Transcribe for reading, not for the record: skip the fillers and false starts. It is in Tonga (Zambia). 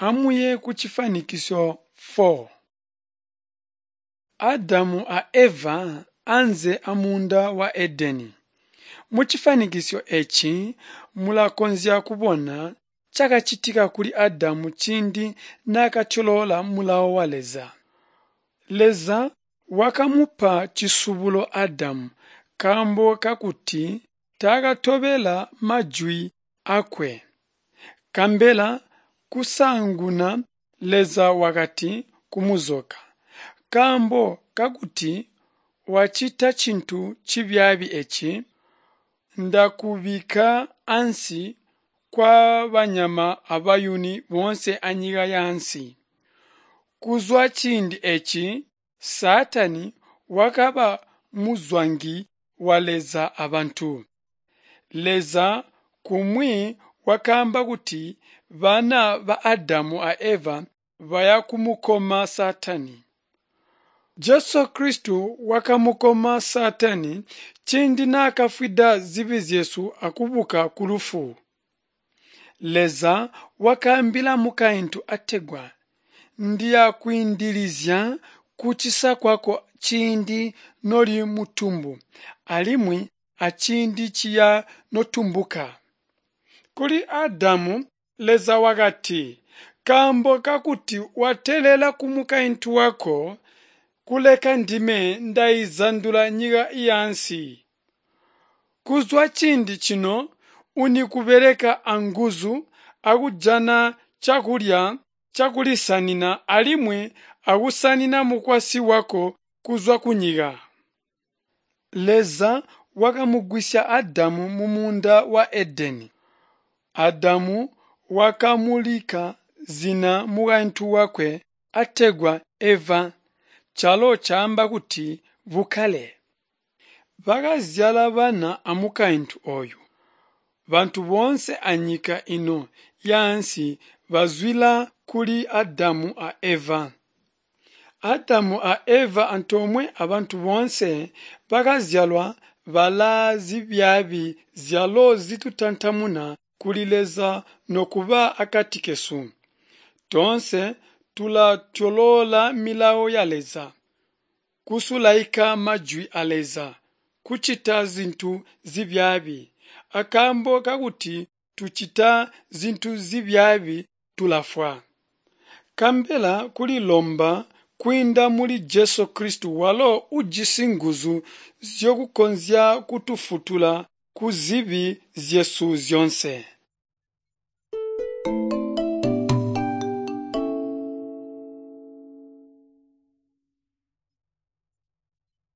Amuye kucifanikisyo 4. Adamu a Eva anze amuunda wa Edeni. Mucifanikisyo eeci mulakonzya kubona cakacitika kuli Adamu ciindi naakatyoloola mulawo wa Leza. Leza wakamupa cisubulo Adamu nkaambo kakuti taakatobela majwi aakwe. Nkabela kusaanguna Leza wakati kumuzoka, "Nkaambo kakuti wacita cintu cibyaabi eeci, ndakubikka ansi kwabanyama abayuni boonse anyika yaansi." Kuzwa ciindi eeci, Saatani wakaba muzwangi wa Leza abantu. Leza kumwi wakaamba kuti bana ba Adamu a Eva baya kumukoma Saatani. Jesu Kristu wakamukoma Saatani ciindi naakafwida zibi zyesu akubuka kulufu. Leza wakaambila mukaintu ategwa, "Ndiyakwiindilizya kucisa kwako ciindi noli mutumbu alimwi aciindi ciya notumbuka." Kuli Adamu Leza wakati, "Nkaambo kakuti wateelela kumukaintu wako, kuleka ndime ndaizandula nyika yaansi. Kuzwa ciindi cino unikubeleka anguzu akujana cakulya cakulisanina alimwi akusanina mukwasyi wako kuzwa kunyika." Leza wakamugwisya Adamu mumuunda wa Edeni. Adamu wakamuulika zina mukaintu wakwe ategwa Eva, calo caamba kuti bukkale. Bakazyala bana amukaintu ooyu. Bantu boonse anyika ino yaansi bazwila kuli Adamu a Eva. Adamu a Eva antoomwe abantu boonse bakazyalwa balaa zibyaabi zyalo zitutantamuna kuli Leza nokuba akati kesu. Toonse tulatyoloola milawo ya Leza, kusulaika majwi a Leza, kucita zintu zibyaabi. Akaambo kakuti tucita zintu zibyaabi tulafwa. Nkabela kulilomba kwiinda muli Jesu Kristu walo ujisi nguzu zyokukonzya kutufwutula kuzibi zyesu zyoonse.